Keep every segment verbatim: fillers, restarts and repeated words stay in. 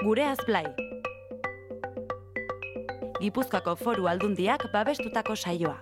Gureaz Blai. Gipuzkoako Foru Aldundiak babestutako saioa.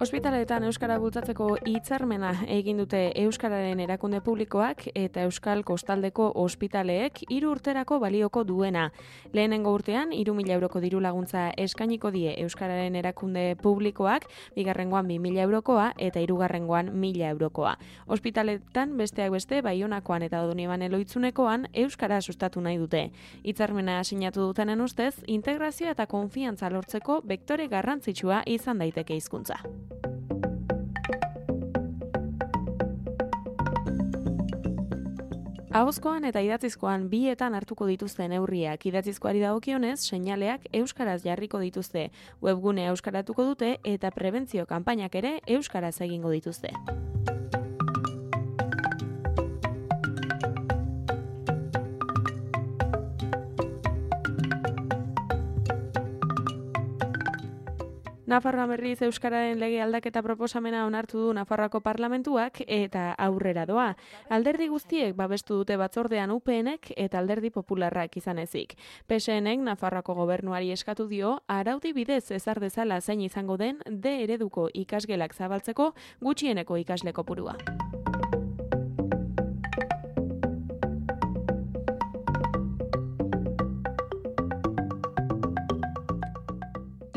Ospitaleetan euskara bultzatzeko hitzarmena egin dute Euskararen erakunde publikoak eta Euskal Kostaldeko ospitaleek hiru urterako balioko duena. Lehenengo urtean hiru mila euroko diru laguntza eskainiko die Euskararen erakunde publikoak, bigarrengoan bi mila eurokoa eta hirugarrengoan mila eurokoa. Ospitaleetan besteak beste Baionakoan eta Doniban Eloitzunekoan euskara sustatu nahi dute. Hitzarmena sinatu dutenen ustez, integrazioa eta konfiantza lortzeko bektore garrantzitsua izan daiteke hizkuntza. Ahozkoan eta idatzizkoan bietan hartuko dituzte neurriak. Idatzizkoari dagokionez, seinaleak euskaraz jarriko dituzte. Webgunea euskaratuko dute eta prebentzio kanpainak ere euskaraz egingo dituzte. Nafarroan berriz euskararen lege aldaketa proposamena onartu du Nafarroako Parlamentuak eta aurrera doa. Alderdi guztiek babestu dute batzordean U PNek eta Alderdi Popularrak izan ezik. P S Nek Nafarroako gobernuari eskatu dio araudi bidez ezar dezala zein izango den D ereduko ikasgelak zabaltzeko gutxieneko ikasle kopurua.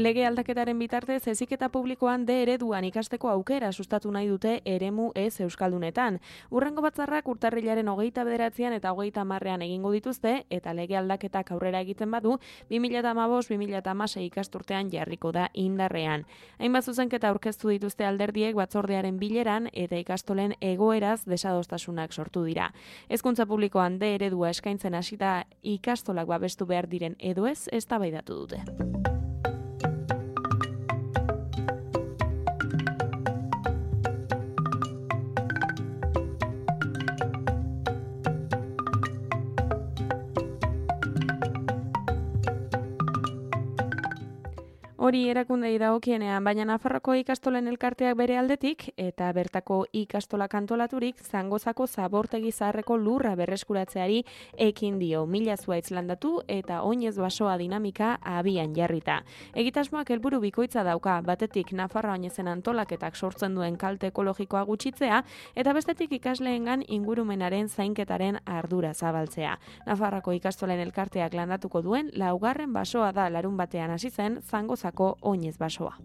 Lege aldaketaren bitartez heziketa publikoan D ereduan ikasteko aukera sustatu nahi dute eremu ez euskaldunetan. Hurrengo batzarrak urtarrilaren hogeita bederatzian eta hogeita hamarrean egingo dituzte eta lege aldaketak aurrera egiten badu bi mila hamabost bi mila hamasei ikasturtean jarriko da indarrean. Hainbat zuzenketa aurkeztu dituzte alderdiek batzordearen bileran eta ikastolen egoeraz desadostasunak sortu dira. Hezkuntza publikoan D eredua eskaintzen hasita ikastolak babestu behar diren edo ez eztabaidatu dute. Hori erakundei dagokienean, baina Nafarroko ikastolen elkarteak bere aldetik eta bertako ikastolak antolaturik Zangozako zabortegi zaharreko lurra berreskuratzeari ekin dio. Mila zuhaitz landatu eta oinez basoa dinamika abian jarrita. Egitasmoak helburu bikoitza dauka, batetik Nafarroa oinezen antolaketak sortzen duen kalte ekologikoa gutxitzea eta bestetik ikasleengan ingurumenaren zainketaren ardura zabaltzea. Nafarroko ikastolen elkarteak landatuko duen laugarren basoa da larun batean hasi zen Zangozako oinez basoa.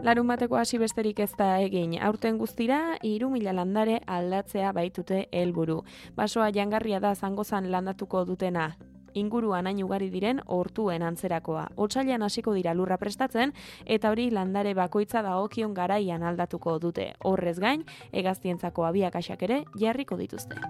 Larun bateko hasi besterik ez da egin. Aurten guztira hiru mila landare aldatzea baitute helburu. Basoa jangarria da Zangozan landatuko dutena. Inguruan hain ugari diren hortuen antzerakoa. Otsailean hasiko dira lurra prestatzen eta hori landare bakoitza dagokion garaian aldatuko dute. Horrez gain, hegaztientzako abiakaxak ere jarriko dituzte.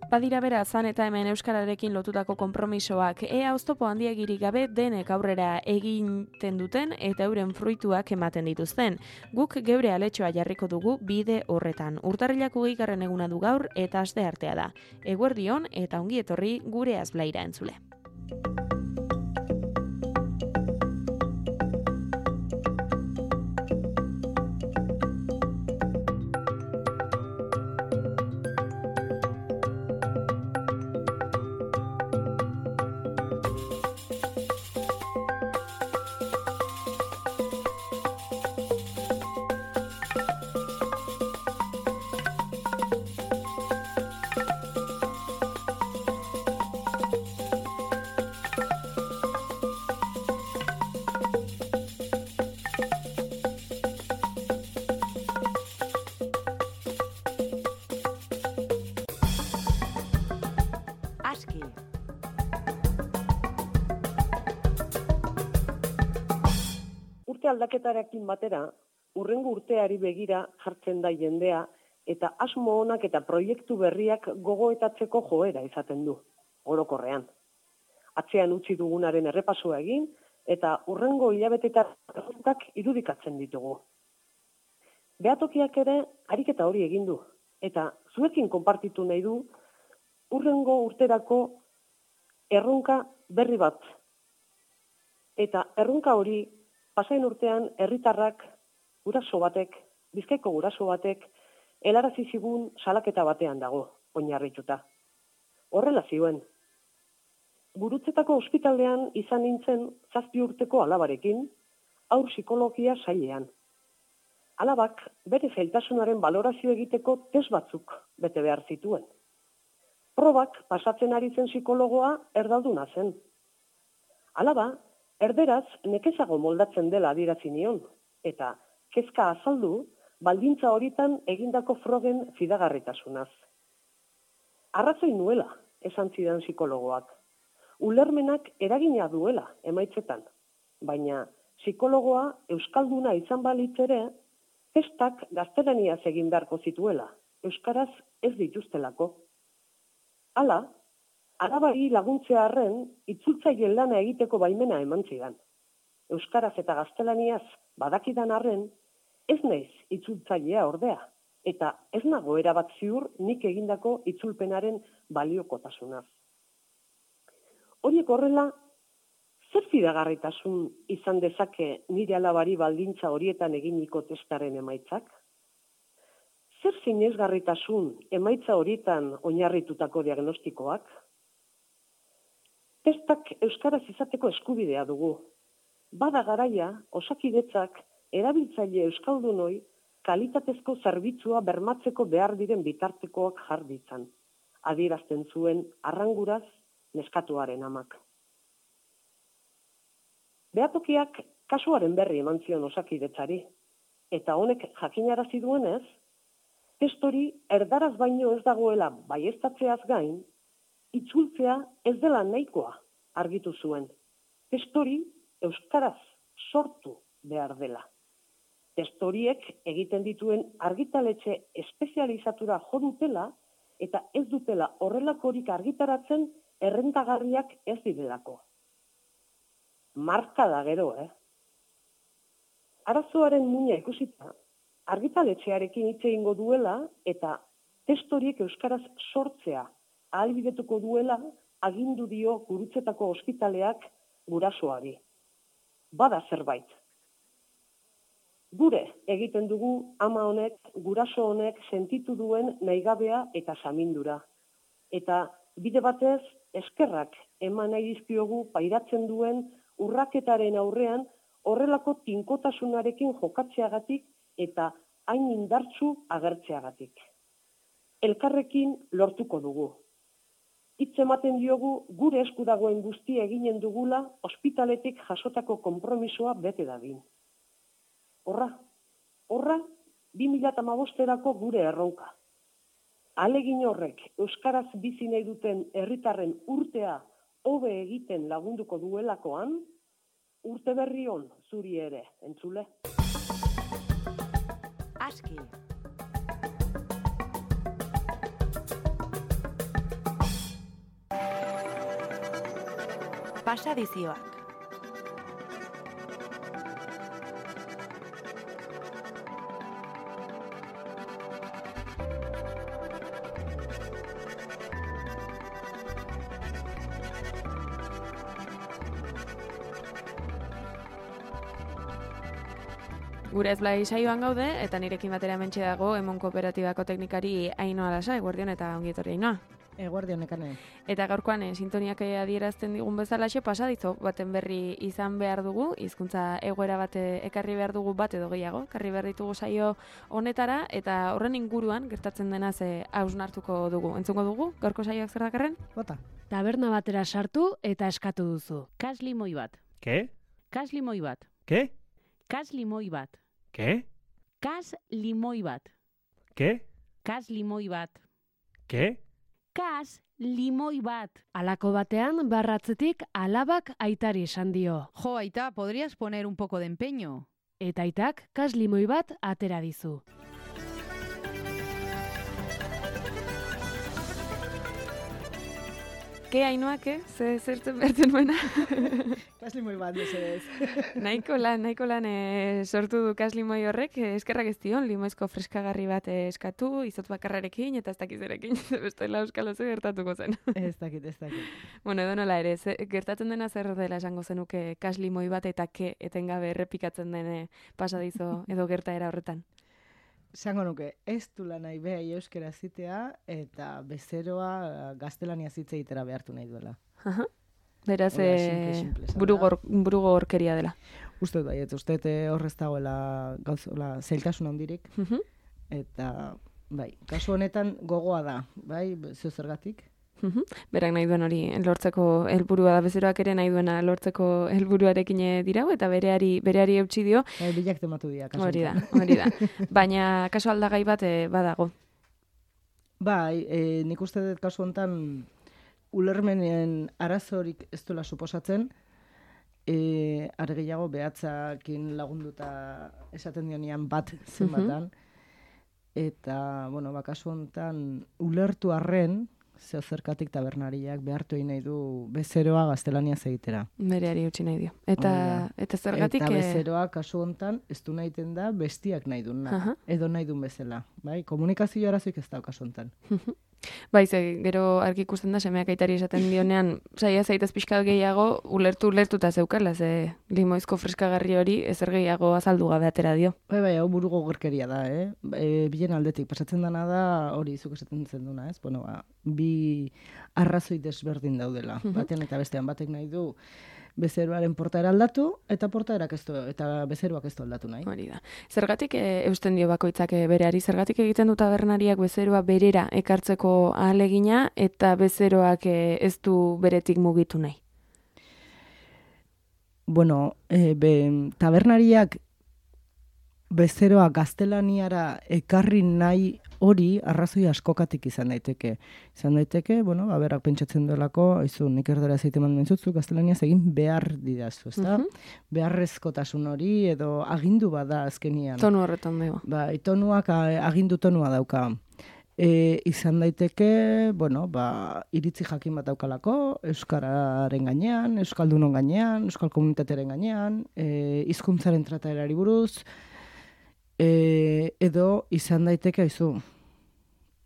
Badira bera zan eta hemen euskararekin lotutako konpromisoak, ea oztopo handiegirik gabe denek aurrera egiten duten eta euren fruituak ematen dituzten. Guk geure aletxoa jarriko dugu bide horretan. Urtarrilak hogeigarren eguna du gaur eta asteartea da. Eguerdion eta ongi etorri Gureaz Blaira entzule. Aski. Urte aldaketarekin batera, hurrengo urteari begira jartzen da jendea eta asmo onak eta proiektu berriak gogoetatzeko joera izaten du, orokorrean. Atzean utzi dugunaren errepasoa egin eta hurrengo hilabeteetan irudikatzen ditugu. Behatokiak ere ariketa hori egin du, eta zuekin konpartitu nahi du hurrengo urterako erronka berri bat. Eta erronka hori pasain urtean herritarrak guraso batek, Bizkaiko guraso batek, helarazi zigun salaketa batean dago, oinarrituta. Horrela zioen. Gurutzetako ospitalean izan nintzen zazpi urteko alabarekin, haur psikologia sailean. Alabak bere zailtasunaren balorazio egiteko test batzuk bete behar zituen. Probak pasatzen ari zen psikologoa erdalduna zen. Alaba, erderaz nekezago moldatzen dela adierazi nion, eta kezka azaldu baldintza horitan egindako frogen fidagarritasunaz. Arrazoi nuela, esan zidan psikologoak. Ulermenak eragina duela emaitzetan, baina psikologoa euskalduna izan balitz ere, testak gaztelaniaz egin beharko zituela, euskaraz ez dituztelako. Hala, alabari laguntzea arren, itzultzaileen lana egiteko baimena eman zidan. Euskaraz eta gaztelaniaz badakidan arren, ez naiz itzultzailea ordea, eta ez nago erabat ziur nik egindako itzulpenaren baliokotasunaz. Horiek horrela, zer fidagarritasun izan dezake nire alabari baldintza horietan eginiko testaren emaitzak? Zer sinesgarritasun emaitza horietan oinarritutako diagnostikoak? Testak euskaraz izateko eskubidea dugu. Bada garaia, Osakidetzak erabiltzaile euskaldunoi kalitatezko zerbitzua bermatzeko behar diren bitartekoak jar ditzan, adierazten zuen arranguraz neskatuaren amak. Behatokiak kasuaren berri eman zion Osakidetzari, eta honek jakinarazi duenez, test hori erdaraz baino ez dagoela baieztatzeaz gain, itzultzea ez dela nahikoa argitu zuen. Test hori euskaraz sortu behar dela. Test horiek egiten dituen argitaletxe espezializatura jo dutela eta ez dutela horrelakorik argitaratzen errentagarriak ez direlako. Marka da gero, eh? Arazoaren muina ikusita, argitaletxearekin hitz egingo duela eta test horiek euskaraz sortzea ahalbidetuko duela agindu dio Gurutzetako ospitaleak gurasoari. Bada zerbait. Gure egiten dugu ama honek, guraso honek sentitu duen nahigabea eta samindura. Eta bide batez eskerrak eman nahi dizkiogu pairatzen duen urraketaren aurrean horrelako tinkotasunarekin jokatzeagatik eta hain indartsu agertzeagatik. Elkarrekin lortuko dugu. Hitz ematen diogu gure esku dagoen guztia eginen dugula ospitaletik jasotako konpromisoa bete dadin. Horra, horra, bi mila hamabosterako gure erronka. Ahalegin horrek euskaraz bizi nahi duten herritarren urtea hobe egiten lagunduko duelakoan, urte berri on zuri ere, entzule. Aski. Pasadizioak. Gure ez blai saioan gaude, eta nirekin batera mentxe dago Emon Kooperatibako teknikari Ainhoa Lasa, eguerdion eta ongietorri Ainhoa. Eguerdion ekane. Eta gaurkoan eh, sintoniak adierazten digun bezalaxe pasadizo baten berri izan behar dugu, hizkuntza egoera bat ekarri behar dugu bat edo gehiago, ekarri behar ditugu saio honetara, eta horren inguruan gertatzen denaz eh, hausnartuko dugu. Entzungo dugu, gaurko saioak zer dakarren? Bota. Taberna batera sartu eta eskatu duzu. Kas limoi bat. ¿Qué? Kas limoi bat. ¿Qué? Kas limoi bat. ¿Qué? Kas limoi bat. ¿Qué? Kas limoi bat. ¿Qué? Kas limoi bat. Alako batean barratzetik alabak aitari esan dio. Jo, aita, podrías poner un poco de empeño. Eta aitak kas limoi bat atera dizu. ke Ainhoa, ke? Ze zertzen bertzen nuena? Kaslimoi bat, mesedez. nahiko lan, nahiko lan e, sortu du kaslimoi horrek, e, eskerrak ez dion, limoizko freskagarri bat e, eskatu, izot bakarrarekin eta ez dakizerekin, bestela euskal oso gertatuko zen. Ez dakit, ez dakit. Bueno, edo nola ere, ze, gertatzen dena zer dela esango zenuke kaslimoi bat eta ke etengabe errepikatzen dene pasadizo edo gertaera horretan. Zango nuke, ez du lanai behai euskera zitea eta bezeroa gaztelania zitze itera behartu nahi duela. Aha. Beraz, Hola, e, simple, simple, esan burugor, burugorkeria dela. Uste bai, ez uste horrez dagoela gauzola zailtasun handirik. Mhm. Eta, bai, kasu honetan gogoa da, bai, zeo zergatik. Mhm. Berak nahi duen hori lortzeko helburua da, bezeroak ere nahi duena lortzeko helburuarekin dirau eta bereari bereari eutsi dio. Bai, bilak tematu dira, kasu Hori da, honetan. hori da. Baina kasu aldagai bat e, badago. Bai, e, nik uste dut kasu honetan ulermenen arazorik ez duela suposatzen, e, are gehiago behatzakin lagunduta esaten dionian bat zenbatan, eta, bueno, ba, kasu honetan ulertu arren, zeo zerkatik tabernariak behartu egin nahi du bezeroa gaztelania egitera. Bereari utzi nahi dio. Eta Hori da. eta zergatik Eta eh, bezeroa kasu honetan ez du nahiten da bestiak nahi duna, Aha. edo nahi duen bezala. Bai? Komunikazio arazoik ez da kasu honetan. bai, ze, gero argi ikusten da semeak aitari esaten dionean, saia zaitez pixkat gehiago ulertu ulertuta zeukala, ze limoizko freskagarri hori ezer gehiago azaldu gabe atera dio. Bai, bai, hau buru gogorkeria da, eh? E, bilen aldetik, pasatzen dana da, hori zuk esaten zen duna, ez? Bueno, ba, bi arrazoi desberdin daudela. Batean eta bestean batek nahi du bezeroaren portaera aldatu, eta portaerak ez du, eta bezeroak ez du aldatu nahi. Hori da. Zergatik e, eusten dio bakoitzak e, bereari, zergatik egiten du tabernariak bezeroa berera ekartzeko ahalegina eta bezeroak e, ez du beretik mugitu nahi. Bueno, e, be, tabernariak bezeroa gaztelaniara ekarri nahi hori arrazoi askokatik izan daiteke. Izan daiteke, bueno, ba, berak pentsatzen duelako, aizu, nik erdera zeite eman mentzutzu, gaztelaniaz egin behar didazu, ezta? Beharrezkotasun hori edo agindu bada azkenian. Tonu horretan dago. Ba, tonuak a- agindu tonua dauka. E, izan daiteke, bueno, ba, iritzi jakin bat daukalako, euskararen gainean, euskaldunon gainean, euskal komunitatearen gainean, e, hizkuntzaren trataerari buruz, e, edo izan daiteke, aizu,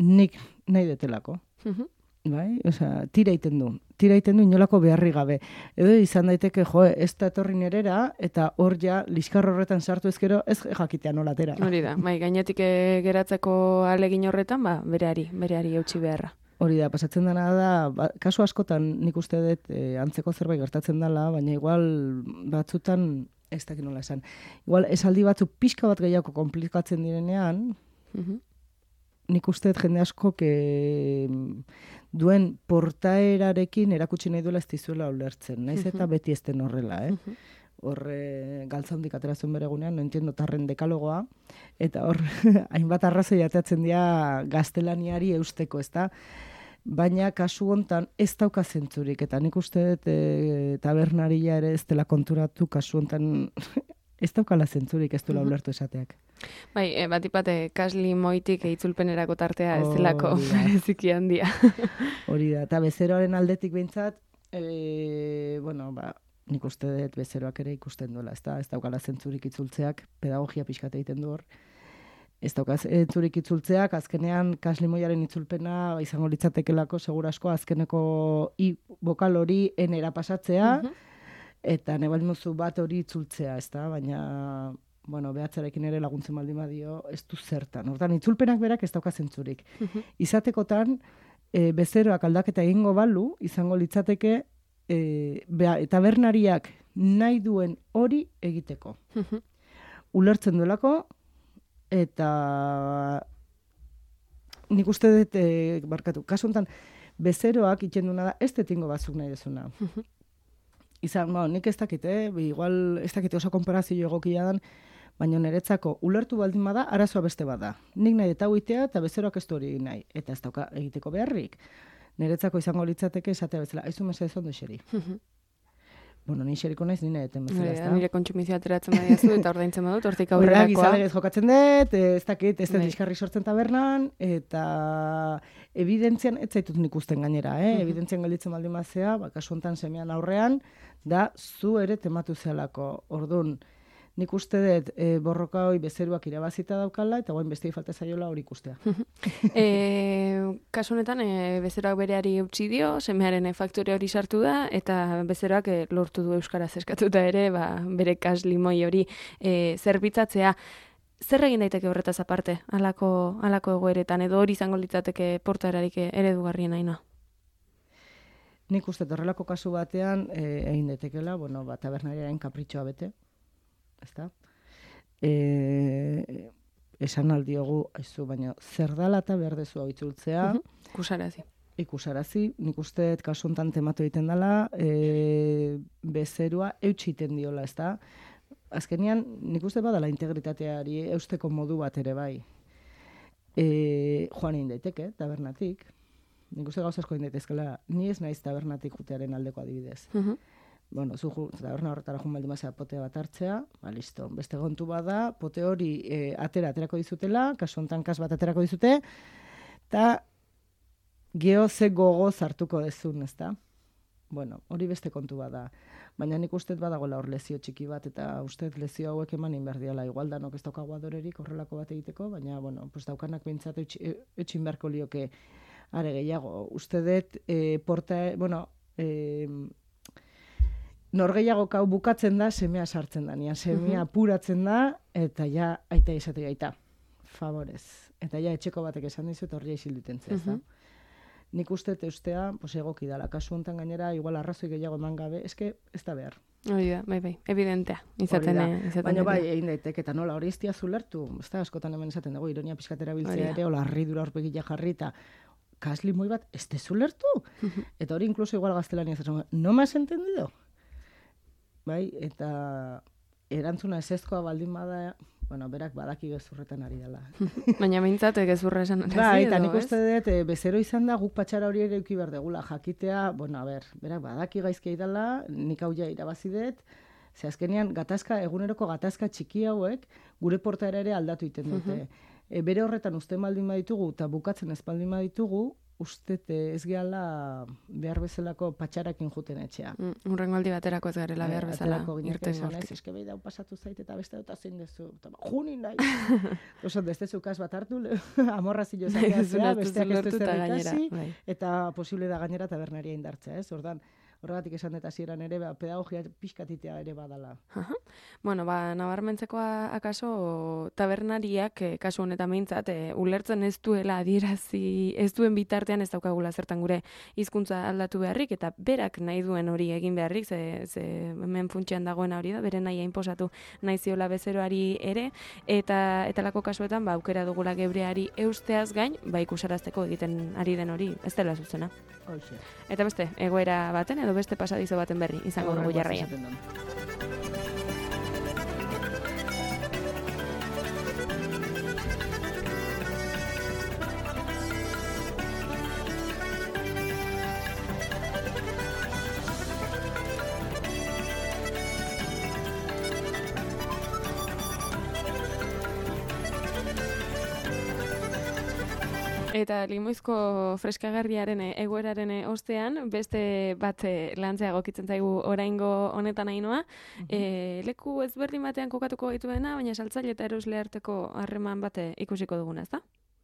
nik nahi detelako. Mhm. Bai? Osea, tira iten du. Tira iten du inolako beharri gabe. Edo izan daiteke, jo, ez da etorri nerera, eta hor ja, liskar horretan sartu ezkero, ez jakitea nolatera. Hori da, bai, gainetik e, geratzeko alegin horretan, ba, bereari, bereari eutsi beharra. Hori da, pasatzen dena da, ba, kasu askotan nik uste dut e, antzeko zerbait gertatzen dela, baina igual batzutan, ez dakit nola esan, igual esaldi batzu pixka bat gehiago komplikatzen direnean, Mhm. nik uste dut jende asko que duen portaerarekin erakutsi nahi duela ez dizuela ulertzen. Naiz eta beti ez den horrela, eh? Horre galtza handik ateratzen bere egunean, no entiendo tarren dekalogoa, eta hor hainbat arrazoi atatzen dira gaztelaniari eusteko, ezta? Baina kasu hontan ez dauka zentzurik, eta nik uste dut e, tabernaria ere ez dela konturatu kasu hontan ez daukala zentzurik, ez duela ulertu esateak. Bai, e, batipate kasli moitik itzulpenerako tartea ez delako Hori da. bereziki handia. Hori da, eta bezeroaren aldetik behintzat, e, bueno, ba, nik uste dut bezeroak ere ikusten duela, ezta? Ez daukala zentzurik itzultzeak, pedagogia pixkat egiten du hor. Ez dauka zentzurik itzultzeak, azkenean kaslimoiaren itzulpena izango litzatekelako, segurasko azkeneko i bokal hori enera pasatzea, eta nebalmuzu bat hori itzultzea, ezta? Baina, bueno, behatzarekin ere laguntzen baldin badio, ez du zertan. Hortan, itzulpenak berak ez dauka zentzurik. Izatekotan, e, bezeroak aldaketa egingo balu, izango litzateke, e, bea, tabernariak nahi duen hori egiteko. Ulertzen duelako, eta nik uste dut, e, barkatu, kasu honetan, bezeroak itxen duna da, ez detingo batzuk nahi dezuna. Izan, ba, nik ez dakit, eh? Igual ez dakit oso konparazio egokia dan, baina niretzako ulertu baldin bada, arazoa beste bada. Nik nahi eta huitea eta bezeroak ez du hori egin nahi. Eta ez dauka egiteko beharrik. Niretzako izango litzateke esatea bezala, aizu mesedez ondo eseri. bueno, ni xeriko naiz, nire eten bezala, Hori ez da, da? nire kontsumizioa ateratzen badiazu eta ordaintzen badut, hortik Horrela, aurrerakoa. gizalegez jokatzen dut, eh, ez dakit, ez dut Bai. liskarri sortzen tabernan, eta evidentzian, ez zaitut nik usten gainera, eh? Mhm. Evidentzian gelditzen baldin bazea, ba, kasu honetan semean aurrean, da zu ere tematu zelako. Ordun, nik uste dut e, borroka hoi bezeruak irabazita daukala, eta guain beste falta zaiola hori ikustea. E, kasu honetan, e, bezeroak bereari eutxi dio, semearen e, faktore hori sartu da, eta bezeroak e, lortu du euskaraz eskatuta ere, ba, bere kas limoi hori e, zerbitzatzea. Zer egin daiteke horretaz aparte, halako halako egoeretan, edo hori izango litzateke portaerarik eredugarrien aina? Nik uste dut horrelako kasu batean e, egin daitekela, bueno, ba, tabernariaren kapritxoa bete, ezta? E, esan aldiogu, aizu, baina zer dala eta behar dezu hau itzultzea, Kusarazi. ikusarazi, nik uste dut kasu honetan tematu egiten dela, e, bezerua eutsi egiten diola, ezta? Azkenean, nik uste badala integritateari eusteko modu bat ere bai. E, joan egin daiteke, tabernatik. Nik uste gauza asko egin daitezkela, ni ez naiz tabernatik jutearen aldeko adibidez. Uh-huh. Bueno, zu ju, taberna horretara joan baldin bazea potea bat hartzea, ba, listo. Beste gontu bada, pote hori e, atera aterako dizutela, kasu honetan kas bat aterako dizute, eta geho ze gogoz hartuko dezun, ezta? Bueno, hori beste kontu bada. Baina nik uste badagoela hor lezio txiki bat, eta uste lezio hauek eman inberdiala. Igual danok ez daukagu adorerik horrelako bat egiteko, baina, bueno, pues daukanak bintzat eutxin beharko lioke are gehiago. Uste dut, e, porta, bueno, e, norgehiago kau bukatzen da, semea sartzen da. Nia semea apuratzen da, eta ja, aita izate gaita. Favorez. Eta ja, etxeko batek esan dizu, eta horria isil duten ez da. Nik uste eustea, pues egoki dala. Kasu honetan gainera, igual arrazoi gehiago eman gabe, eske ez da behar. Hori da, bai, bai, evidentea. Izaten, Hori da. eh, izaten Baina bai, dira. egin daiteke, eta nola, hori ez diazu lertu. Ez da, askotan hemen esaten dugu, ironia pixkatera Hori biltzea da. ere, ola, harridura horpegia jarri, eta kasli moi bat, ez dezu lertu? Eta hori inkluso igual gaztelania zaten, no me has entendido? Bai, eta erantzuna ezezkoa baldin bada, bueno, berak badaki gezurretan ari dela. Baina behintzat gezurra esan arazi Bai, eta edo, nik ez? uste dut, e, bezero izan da, guk patxara hori ere euki behar degula, jakitea, bueno, a ber, berak badaki gaizki dela, nik hau ja irabazi dut, ze azkenean, gatazka, eguneroko gatazka txiki hauek, gure portaera ere aldatu iten dute. E, bere horretan uste baldin baditugu, eta bukatzen ez baldin baditugu, uste ez gehala behar bezalako patxarakin juten etxea. Mm, Hurrengo aldi baterako ez garela behar bezala Aterako gineke irten esanez, hortik. eske behi dau pasatu zait eta beste dut zein dezu. Eta, ba, Juni nahi. Oso, beste zukas bat hartu, le- amorrazio zatea zea, besteak ez du zer ikasi, bai. eta posible da gainera tabernaria indartzea, ez? Ordan, horregatik esan dut hasieran ere, ba, pedagogia pixkatitea ere badala. Aha. Bueno, ba, nabarmentzekoa akaso tabernariak, eh, kasu honetan behintzat, eh, ulertzen ez duela adierazi, ez duen bitartean ez daukagula zertan gure hizkuntza aldatu beharrik, eta berak nahi duen hori egin beharrik, ze, ze hemen funtsean dagoena hori da, bere nahi inposatu nahi ziola bezeroari ere, eta etalako kasuetan, ba, aukera dugula gebreari eusteaz gain, ba, ikusarazteko egiten ari den hori, ez dela zuzena. Hoxe. Eta beste, egoera baten edo beste pasadizo baten berri izango dugu Horrengoaz jarraian. esaten dut. Eta limoizko freskagarriaren eh, egoeraren eh, ostean, beste bat eh, lantzea egokitzen zaigu oraingo honetan ainoa. Eh, leku ezberdin batean kokatuko dituena, baina saltzaile eta erosle arteko harreman bate ikusiko duguna, ezta?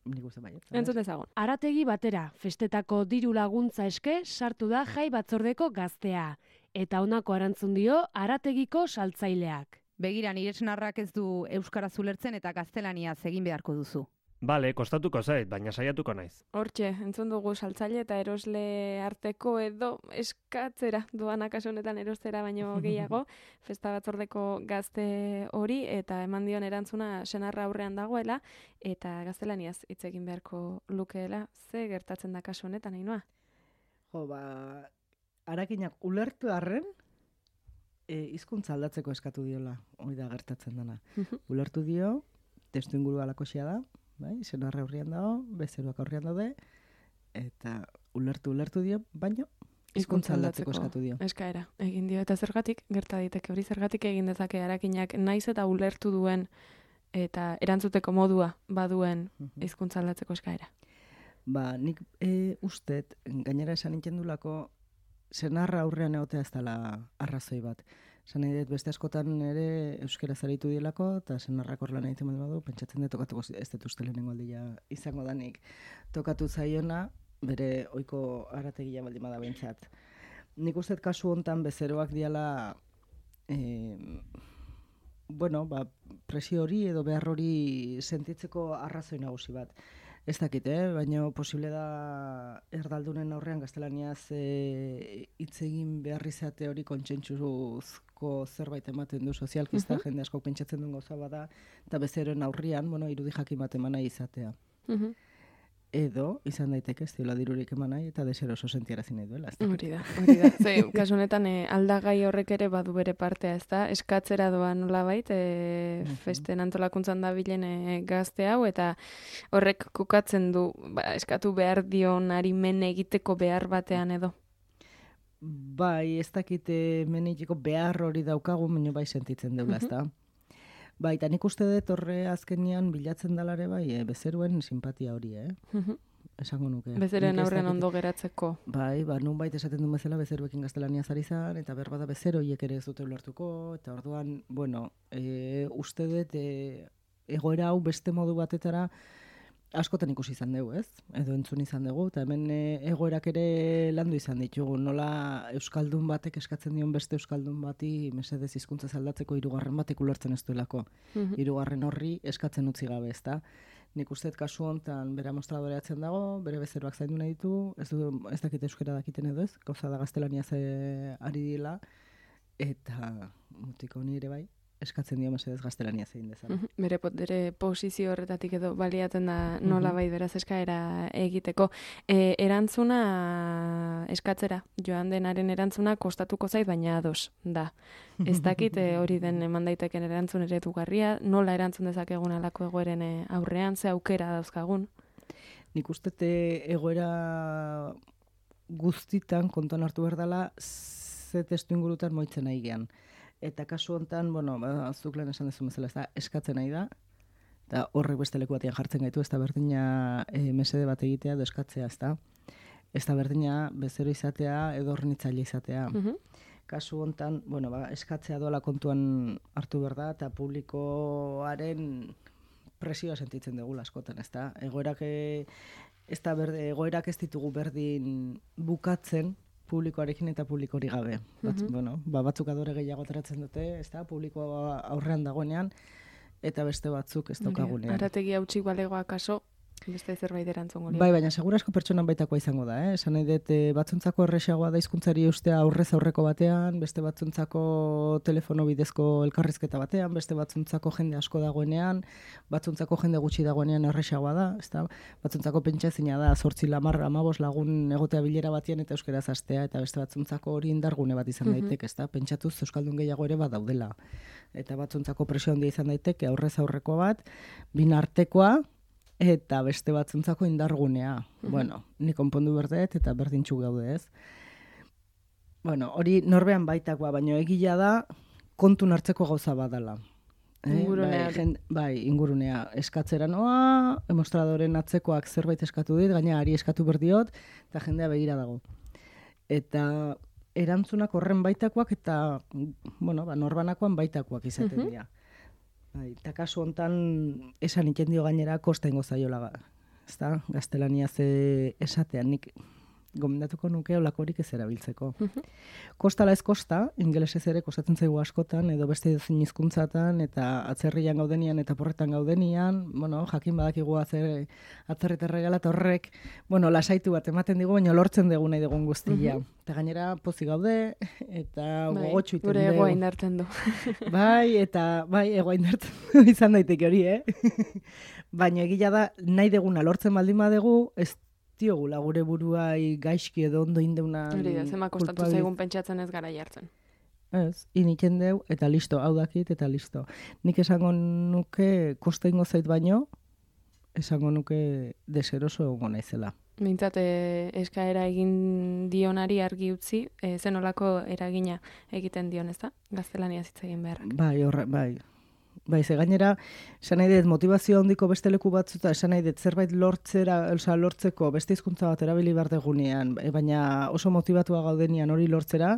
Nik uste baiet. Entzun dezagun. Arategi batera, festetako diru laguntza eske sartu da jai batzordeko gaztea. Eta honako arantzun dio arategiko saltzaileak. Begira, nire senarrak ez du euskaraz ulertzen eta gaztelaniaz egin beharko duzu. Bale, kostatuko zait, baina saiatuko naiz. Hortxe, entzun dugu saltzaile eta erosle arteko edo eskatzera doanak kasu honetan erostera baino gehiago, festa batzordeko gazte hori eta eman dion erantzuna senarra aurrean dagoela eta gaztelaniaz hitz egin beharko lukeela. Ze gertatzen da kasu honetan, Ainhoa? Jo, ba, arakinak ulertu arren, e, hizkuntza aldatzeko eskatu diola, hori da gertatzen dana. Ulertu dio, testu inguru alakoxea da, bai, senarra aurrean dago, bezeroak aurrean daude, eta ulertu, ulertu dio, baino, hizkuntza aldatzeko eskatu dio. Eskaera, egin dio. Eta zergatik, gerta daiteke hori, zergatik egin dezake arakinak naiz eta ulertu duen eta erantzuteko modua baduen hizkuntza aldatzeko eskaera. Ba, nik e, ustet, gainera esan nintzen dulako, senarra aurrean egotea ez dela arrazoi bat. Esan nahi dut, beste askotan ere euskera zaritu dielako, eta senarrak horrela nahi temen badu, pentsatzen dut tokatuko ez dut uste lehenengo aldia izango danik. Tokatu zaiona, bere ohiko arategia baldin bada behintzat. Nik uste kasu hontan bezeroak diala, e, bueno, ba, presio hori edo behar hori sentitzeko arrazoi nagusi bat. Ez dakit, eh? Baina posible da erdaldunen aurrean gaztelaniaz hitz e, egin behar izate hori kontsentsuzko zerbait ematen du sozialkista, uh-huh. jende asko pentsatzen duen gauza bada, eta bezeroen aurrian, bueno, irudi jakin bat eman nahi izatea. Uh-huh. Edo, izan daiteke, ez diola dirurik eman nahi, eta deseroso sentiarazi nahi duela. Hori da, hori da. Ze, kasu honetan, e, aldagai horrek ere badu bere partea, ez da? Eskatzera doa nolabait, e, uh-huh. festen antolakuntzan da bilen e, gazte hau, eta horrek kokatzen du, ba, eskatu behar dion men egiteko behar batean edo. Bai, ez dakite men egiteko behar hori daukagu, baina bai sentitzen deula, ez da? Bai, eta nik uste dut horre azkenian bilatzen dalare bai, e, bezeruen simpatia hori, eh? Uh-huh. Esango nuke. Bezeren aurrean ondo geratzeko. Bai, ba, nun bait esaten duen bezala bezeruekin gaztelania zari zan, eta berbada bezeroiek ere ez dute ulertuko, eta orduan, bueno, e, uste dut e, egoera hau beste modu batetara askotan ikusi izan dugu, ez? Edo entzun izan dugu, eta hemen e, egoerak ere landu izan ditugu. Nola euskaldun batek eskatzen dion beste euskaldun bati mesedez hizkuntza aldatzeko hirugarren batek ulertzen ez duelako. Mm-hmm. Hirugarren horri eskatzen utzi gabe, ezta? Nik uste dut kasu hontan bere mostradoreatzen dago, bere bezeroak zaindu nahi ditu, ez, du, ez dakit euskera dakiten edo ez, gauza da gaztelaniaz ari dila, eta mutiko ni ere bai, eskatzen dio mesedez gaztelania zein dezala. Uh-huh. Bere, bere posizio horretatik edo baliatzen da nola bai beraz eskaera egiteko. E, erantzuna eskatzera, joan denaren erantzuna kostatuko zait, baina ados da. Ez dakit hori den eman daiteken erantzun eredugarria, nola erantzun dezakegun alako egoeren aurrean, ze aukera dauzkagun. Nik uste egoera guztitan kontuan hartu behar dela ze testu ingurutan moitzen nahi gean. Eta kasu hontan, bueno, ba, zuk lehen esan dezu bezala, ez da, eskatzen nahi da, eta horrek beste leku batean jartzen gaitu, ez da berdina e, mesede bat egitea, edo eskatzea, ez da. Ez da berdina bezero izatea, edo horrenitzaile izatea. Uh-huh. Kasu hontan, bueno, ba, eskatzea doala kontuan hartu behar da, eta publikoaren presioa sentitzen dugu askotan, ez da. Egoerak, e, ez da berde, egoerak ez ditugu berdin bukatzen, publikoarekin eta publiko hori gabe. Batz, uh-huh. bueno, ba, batzuk adore gehiago ateratzen dute, ez da, publiko aurrean dagoenean, eta beste batzuk ez daukagunean. Arategi hautsik balegoa kaso, beste zerbait erantzongo. Bai, baina segurasko pertsonan baitakoa izango da, eh? Esan nahi dut, batzuntzako erresagoa da hizkuntzari ustea aurrez aurreko batean, beste batzuntzako telefono bidezko elkarrizketa batean, beste batzuntzako jende asko dagoenean, batzuntzako jende gutxi dagoenean erresagoa da, ezta? Batzuntzako pentsazina da zortzi lamar amabos lagun egotea bilera batean eta euskeraz hastea, eta beste batzuntzako hori indargune bat izan daiteke, ezta? Pentsatuz euskaldun gehiago ere badaudela. Eta batzuntzako presio handia izan daiteke aurrez aurreko bat, bin artekoa, eta beste batzuntzako indargunea. Uh-huh. Bueno, ni konpondu berdet eta berdintxu gaude, ez? Bueno, hori norbean baitakoa, baina egia da kontun hartzeko gauza badala. Eh? Ingurunea. Bai, jen, bai, ingurunea. Eskatzera noa, demostradoren atzekoak zerbait eskatu dit, gaina ari eskatu berdiot, eta jendea begira dago. Eta erantzunak horren baitakoak eta, bueno, ba, norbanakoan baitakoak izaten dira. Uh-huh. Bai, eta kasu hontan esan iten dio gainera kosta ingo zaiola, ezta? Gaztelania ze esatean nik gomendatuko nuke olakorik ez erabiltzeko. Uh-huh. Kostala ez kosta, ingelesez ere kostatzen zaigu askotan, edo beste edozein hizkuntzatan, eta atzerrian gaudenian eta porretan gaudenian, bueno, jakin badakigu atzer, atzerritar regala eta horrek, bueno, lasaitu bat ematen digu, baina lortzen dugu nahi dugun guztia. Uh-huh. Eta gainera pozik gaude, eta bai, gogotxu iten dugu. Gure egoa indartzen du. Bai, eta bai, egoa indartzen du izan daiteke hori, eh? Baina egila da, nahi deguna lortzen baldin badegu, ez diogula gure buruai gaizki edo ondo indeunan hori da, zema kostatu zaigun pentsatzen ez gara jartzen. Ez, iniken deu, eta listo, hau dakit, eta listo. Nik esango nuke, kosta ingo zait baino, esango nuke deseroso egongo naizela. Mintzat, e, eskaera egin dionari argi utzi, e, zenolako eragina egiten dion, ez da? Gaztelania hitz egin beharrak. Bai, horre, bai. Bai, ze gainera, esan nahi dut, motivazio handiko beste leku batzuta, esan nahi dut, zerbait lortzera, oza, lortzeko beste hizkuntza bat erabili behar degunean, baina oso motivatua gaudenian hori lortzera,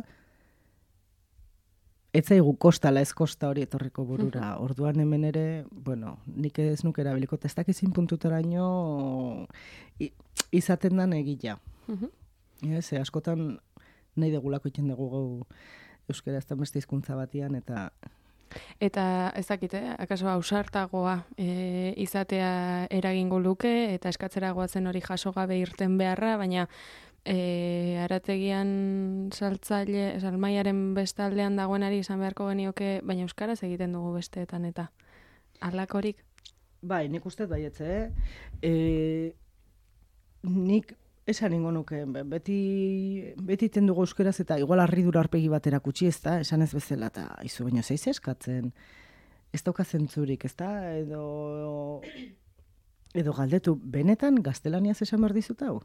ez zaigu kostala ez kosta hori etorriko burura. Orduan hemen ere, bueno, nik ez nuke erabiliko, ez dakizin puntutaraino izaten dan egila. Ez, askotan nahi degulako iten dugu gau euskara ez da beste hizkuntza batian, eta... Eta ez dakit, eh? Akaso ausartagoa e, izatea eragingo luke, eta eskatzera goazen hori jaso gabe irten beharra, baina e, arategian saltzaile, salmaiaren bestaldean dagoenari izan beharko genioke, baina euskaraz egiten dugu besteetan, eta halakorik? Bai, nik uste baietze, eh? E, nik esan ingo nuke, beti, beti iten dugu euskeraz eta igual harridura arpegi batera kutsi, ez da, esan ez bezala, eta izu baino zeiz eskatzen, ez dauka zentzurik, ez da, edo, edo galdetu, benetan gaztelaniaz esan behar dizut hau?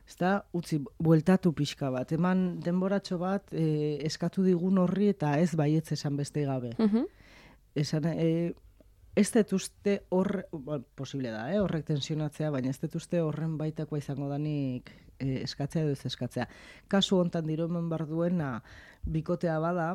Ez da, utzi, bueltatu pixka bat, eman denboratxo bat e, eskatu digun horri eta ez baietz esan beste gabe. Uh-huh. Esan, e, ez dut uste horre, well, posible da, eh, horrek tensionatzea, baina ez dut uste horren baitakoa izango danik eh, eskatzea edo ez eskatzea. Kasu hontan diromen bar duena bikotea bada,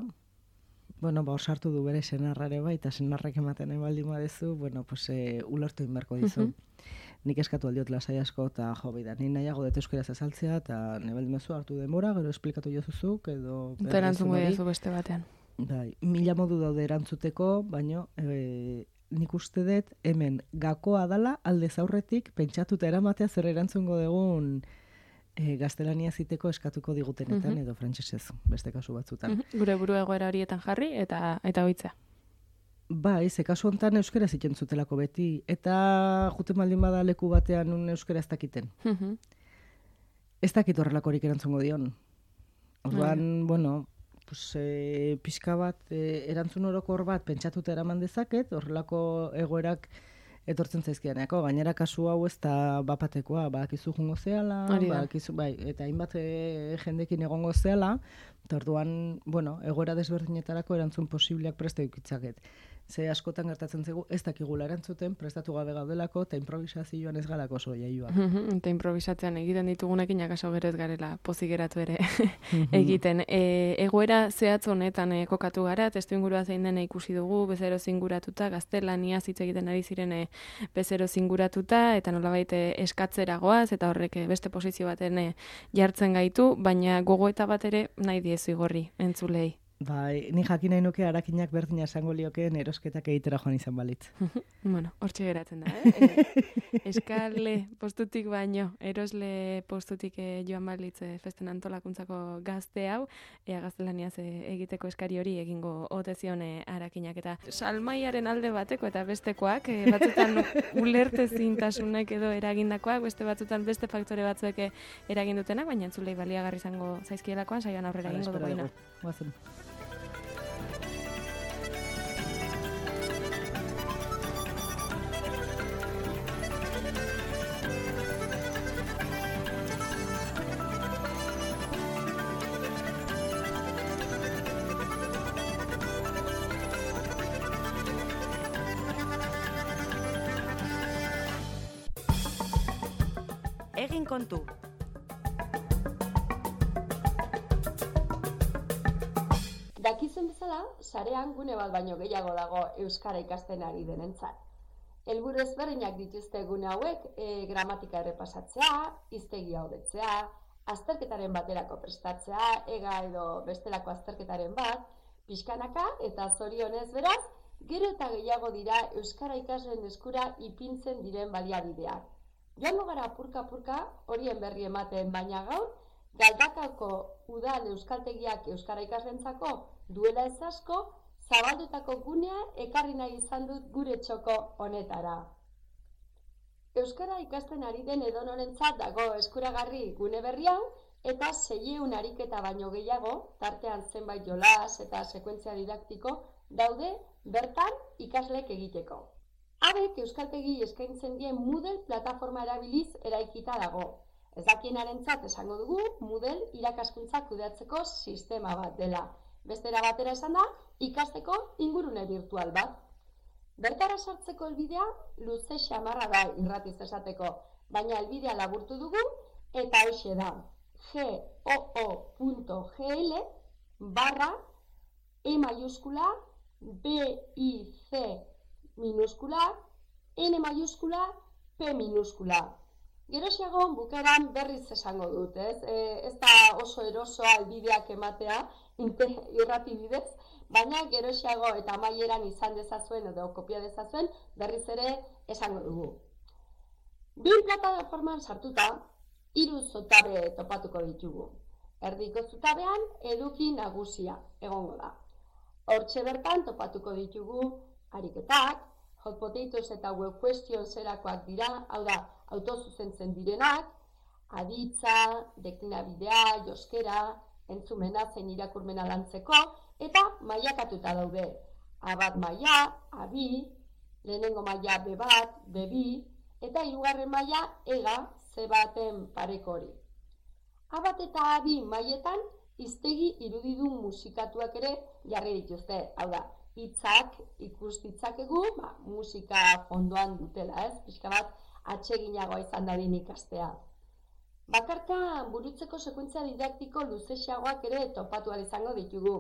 bueno, ba, osartu du bere senarrare bai, eta senarrek ematen ebaldi madezu, bueno, pues, e, ulertu inberko dizu. Uh-huh. Nik eskatu aldiot lasai asko, eta jo, bai da, ni nahiago dut euskaraz azaltzea, eta nebaldi mezu hartu denbora, gero esplikatu jozuzuk, edo... Eta erantzungo dizu beste batean. Bai, mila modu daude erantzuteko, baino... E, nik uste dut hemen gakoa dala aldez aurretik pentsatuta eramatea zer erantzungo dugun e, gaztelania ziteko eskatuko digutenetan uh-huh. edo frantsesez beste kasu batzutan. Uh-huh. Gure buru egoera horietan jarri eta eta hoitzea. Bai, ze kasu hontan euskara egiten zutelako beti eta juten baldin bada leku batean un euskara ez dakiten. Uh-huh. Ez dakit horrelakorik erantzungo dion. Orduan, uh-huh. bueno, pues, e, pixka bat, e, erantzun orokor bat pentsatuta eraman dezaket, horrelako egoerak etortzen zaizkianeako. Gainera kasu hau ez da bapatekoa, badakizu jungo zehala, badakizu, bai, eta hainbat e, jendekin egongo zehala, eta orduan, bueno, egoera desberdinetarako erantzun posibleak preste dukitzaket. Ze askotan gertatzen zaigu, ez dakigula erantzuten, prestatu gabe gaudelako, eta improvisazioan ez galako oso jaioa. Eta improvisatzean egiten ditugunekin, akaso gero ez garela pozigeratu ere egiten. E, egoera zehatz honetan e, kokatu gara, testu ingurua zein dena ikusi dugu, bezero zinguratuta, gaztelania hitz egiten ari ziren e, bezero zinguratuta, eta nolabait eskatzera goaz, eta horrek e, beste posizio baten e, jartzen gaitu, baina gogoeta bat ere nahi diezu igorri, entzulei. Bai, ni jakin nahi nuke arakinak berdina esango liokeen erosketak egitera joan izan balitz. Bueno, hortxe geratzen da, eh? E, eskale postutik baino, erosle postutik e, joan balitz e, festen antolakuntzako gazte hau, ea gaztelaniaz e, egiteko eskari hori egingo ote zion e, arakinak. Eta salmaiaren alde bateko eta bestekoak, e, batzutan ulertezintasunek edo eragindakoak, beste batzutan beste faktore batzuek eragin dutenak, baina entzulei baliagarri izango zaizkielakoan, saioan aurrera egingo dugu ina. Guazen. Egin kontu. Dakizuen bezala, sarean gune bat baino gehiago dago euskara ikasten ari denentzat. Helburu ezberdinak dituzte gune hauek, e, gramatika errepasatzea, hiztegia hobetzea, azterketaren baterako prestatzea, ega edo bestelako azterketaren bat, pixkanaka eta zorionez beraz, gero eta gehiago dira euskara ikasleen eskura ipintzen diren baliabideak. Joango gara apurka-apurka horien berri ematen, baina gaur, Galdakako udal euskaltegiak euskara ikaslentzako duela ez asko, zabaldutako gunea ekarri nahi izan dut gure txoko honetara. Euskara ikasten ari den edonorentzat dago eskuragarri gune berri hau, eta seiehun ariketa baino gehiago, tartean zenbait jolas eta sekuentzia didaktiko, daude bertan ikaslek egiteko. Habek euskaltegi eskaintzen dien Moodle plataforma erabiliz eraikita dago. Ez dakienarentzat esango dugu Moodle irakaskuntza kudeatzeko sistema bat dela. Bestera batera esan da, ikasteko ingurune virtual bat. Bertara sartzeko helbidea luze xamarra da irratiz esateko, baina helbidea laburtu dugu eta hoxe da goo.gl barra E mayúscula, B, I, C minúscula, N mayúscula, P minúscula. Geroxiago bukaeran berriz esango dut, ez? E, ez da oso erosoa albideak ematea irrati bidez, baina geroxiago eta amaieran izan dezazuen edo kopia dezazuen berriz ere esango dugu. Bin plataforman sartuta, hiru zutabe topatuko ditugu. Erdiko zutabean eduki nagusia egongo da. Hortxe bertan topatuko ditugu ariketak, hot potatoes eta web questions erakoak dira, hau da, autozuzentzen direnak, aditza, deklinabidea, joskera, entzumena zein irakurmena lantzeko, eta mailakatuta daude. A bat maila, A bi, lehenengo maila B bat, B bi, eta hirugarren maila ega C baten pareko hori. A bat eta A bi mailetan hiztegi irudidun musikatuak ere jarri dituzte, hau da, hitzak ikus ditzakegu, ba, musika fondoan dutela, ez? Pixka bat atseginagoa izan dadin ikastea. Bakarka burutzeko sekuentzia didaktiko luzexeagoak ere topatu ahal izango ditugu.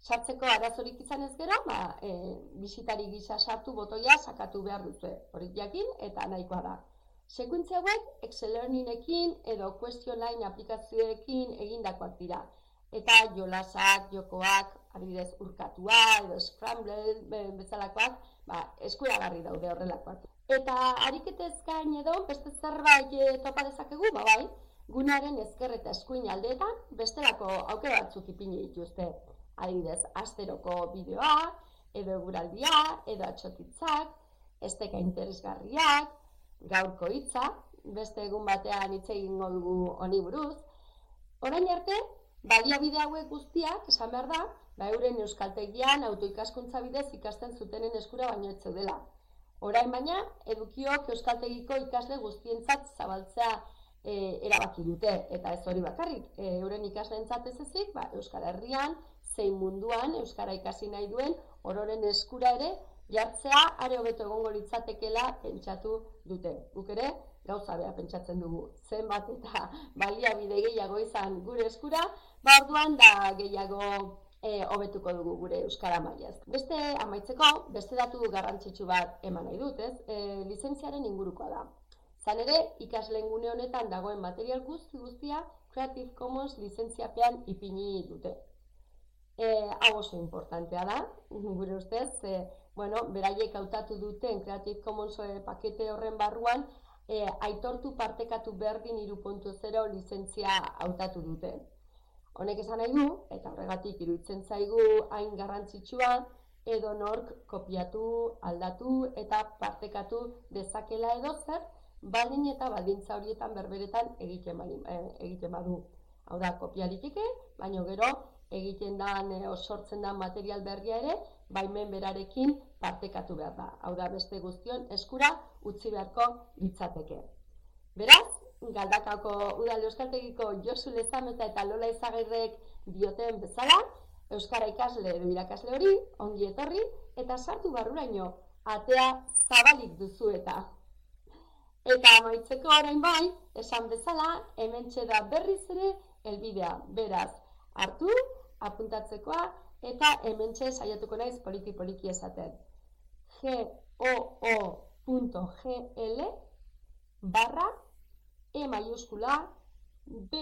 Sartzeko arazorik izan ez gero, ba, e, bisitari gisa sartu botoia sakatu behar dute, horik jakin eta nahikoa da. Sekuentzia hauek Excel Learningekin edo Question Line aplikazioekin egindakoak dira. Eta jolasak, jokoak, adibidez urkatua edo scramble bezalakoak, ba, eskuragarri daude horrelakoak. Eta ariketez gain edo beste zerbait topa dezakegu, ba bai, gunearen ezker eta eskuin aldeetan bestelako aukera batzuk ipini dituzte. Adibidez, asteroko bideoa, edo eguraldia, edo atxotitzak, esteka interesgarriak, gaurko hitza, beste egun batean hitz egingo dugu honi buruz. Orain arte, baliabide hauek guztiak, esan behar da, ba euren euskaltegian autoikaskuntza bidez ikasten zutenen eskura baino ez zeudela. Orain baina, edukiok euskaltegiko ikasle guztientzat zabaltzea e, erabaki dute, eta ez hori bakarrik, e, euren ikasleentzat ez ezik, ba, Euskal Herrian, zein munduan euskara ikasi nahi duen ororen eskura ere jartzea are hobeto egongo litzatekeela pentsatu dute. Guk ere gauza bera pentsatzen dugu. Zenbat eta baliabide gehiago izan gure eskura, ba orduan da gehiago e, hobetuko dugu gure euskara mailaz. Beste amaitzeko, beste datu garrantzitsu bat eman nahi dut, ez? E, lizentziaren ingurukoa da. Zan ere, ikasleen gune honetan dagoen material guzti guztia Creative Commons lizentziapean ipini dute. E, hau oso importantea da, gure ustez, e, bueno, beraiek hautatu duten Creative Commons pakete horren barruan, e, aitortu partekatu berdin hiru puntu zero lizentzia hautatu dute. Honek esan nahi du, eta horregatik iruditzen zaigu hain garrantzitsua, edo nork kopiatu, aldatu eta partekatu dezakela edo zer, baldin eta baldintza horietan berberetan egiten, egiten badu. Hau da, kopia liteke, baina gero egiten dan, e, sortzen dan material berria ere, baimen berarekin partekatu behar da. Hau da, beste guztion eskura utzi beharko litzateke. Beraz, Galdakako Udal Euskaltegiko Josu Lezameta eta Lola Izagirrek dioten bezala, euskara ikasle edo irakasle hori, ongi etorri, eta sartu barruraino, atea zabalik duzu eta. Eta amaitzeko orain bai, esan bezala, hementxe da berriz ere helbidea. Beraz, hartu, apuntatzekoa, eta hementxe saiatuko naiz poliki-poliki esaten. goo.gl barra E mayúscula, B,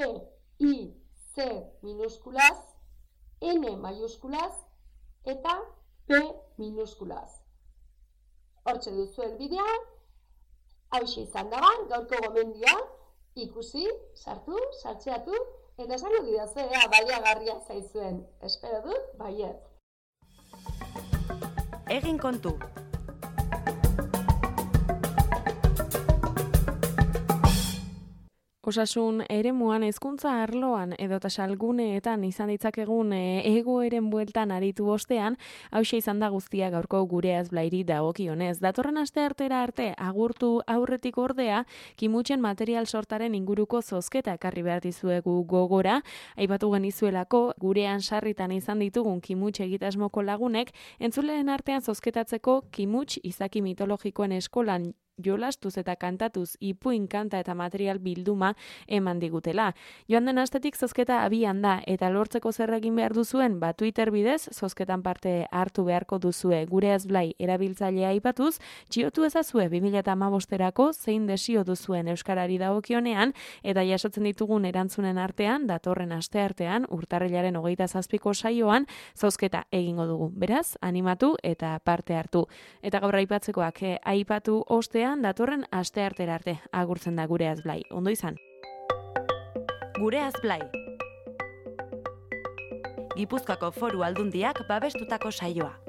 I, C minúsculas, N mayúsculas, eta P minúsculas. Hortxe duzu helbidea, hauxe izan da, gaurko gomendioa, ikusi, sartu, sartzeatu, eta esango didazu, ea, baliagarria zaizuen. Espero dut, baiet. Egin kontu. Osasun eremuan hezkuntza arloan edota salguneetan izan ditzakegun egoeren bueltan aritu ostean, hauxe izan da guztia gaurko Gure Azblairi dagokionez. Datorren asteartera arte agurtu aurretik ordea, kimutzen material sortaren inguruko zozketa ekarri behar dizuegu gogora, aipatu genizuelako gurean sarritan izan ditugun kimutx egitasmoko lagunek, entzuleen artean zozketatzeko kimuts izaki mitologikoen eskolan jolastuz eta kantatuz ipuin kanta eta material bilduma eman digutela. Joan den astetik zozketa abian da eta lortzeko zer egin behar duzuen, ba Twitter bidez zozketan parte hartu beharko duzue. Gure Azblai erabiltzailea aipatuz, txiotu ezazue bi mila hamabosterako zein desio duzuen euskarari dagokionean eta jasotzen ditugun erantzunen artean, datorren asteartean, urtarrilaren hogeita zazpiko saioan, zozketa egingo dugu. Beraz, animatu eta parte hartu. Eta gaur aipatzekoak eh, aipatu ostean datorren asteartera arte agurtzen da Gure Azblai. Ondo izan. Gure Azblai. Gipuzkoako Foru Aldundiak babestutako saioa.